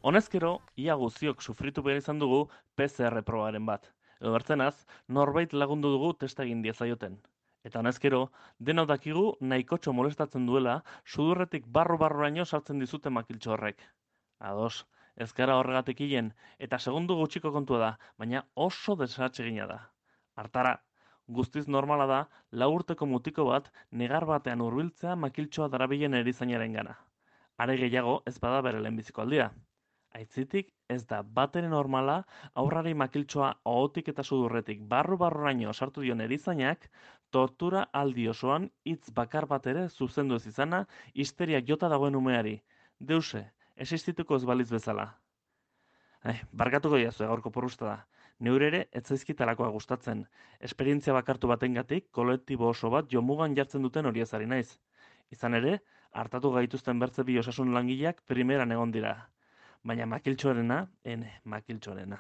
Honezkero, ia guziok sufritu behar izan dugu PCR probaren bat. Edo bertzenaz, norbait lagundu dugu testa egin diezaioten. Eta honezkero, denok dakigu nahikotxo molestatzen duela sudurretik barru-barruraino sartzen dizute makiltxo horrek. Ados, ez gara horregatik hilen, eta segundu gutxiko kontua da, baina oso desatsegina da. Hartara, guztiz normala da, 4 urteko mutiko bat negar batean hurbiltzea makiltxoa darabilen erizainaren gana. Are gehiago ez bada bere lehenbiziko aldia. Aitzitik, ez da batere normala haurrari makiltxoa ohotik eta sudurretik barru-barruraino sartu dion erizainak tortura aldi osoan hitz bakar bat ere zuzendu ez izana histeriak jota dagoen umeari. Deuse, existituko ez baliz bezala. Barkatuko diazu gaurko porrusta da. Neure ere ez zaizkitalakoa gustatzen. Esperientzia bakartu batengatik kolektibo oso bat jomugan jartzen duten horiez ari naiz. Izan ere, hartatu gaituzten bertze bi osasun langileak primeran egon dira. Baina makiltxoarena, makiltxoarena.